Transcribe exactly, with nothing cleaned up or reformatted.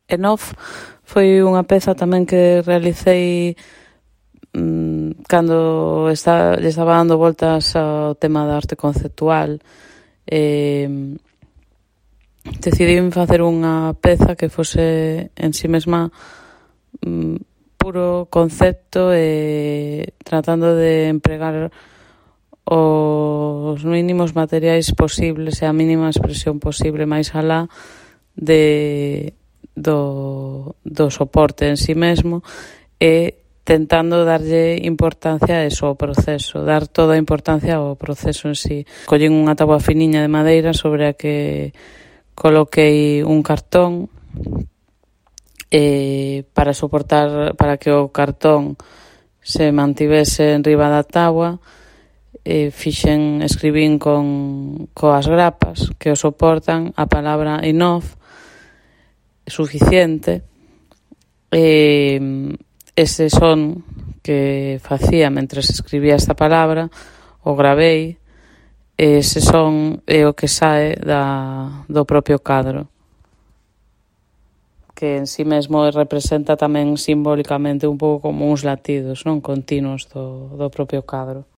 Enough foi unha peza tamén que realicei mmm, cando está, lle estaba dando voltas ao tema da arte conceptual. Eh, decidín facer unha peza que fose en si mesma mmm, puro concepto e tratando de empregar os mínimos materiais posibles e a mínima expresión posible máis alá de, do, do soporte en si mesmo, e tentando darlle importancia a eso, ao proceso, dar toda a importancia ao proceso en si. Collín unha táboa finiña de madeira sobre a que coloquei un cartón e para soportar, para que o cartón se mantivese en riba da táboa, e fixen, escribín con coas grapas que o soportan a palabra enough, suficiente, e ese son que facía mentres escribía esta palabra o gravei, e ese son é o que sae da, do propio cadro, que en si mesmo representa tamén simbólicamente un pouco como uns latidos, non, continuos do, do propio cadro.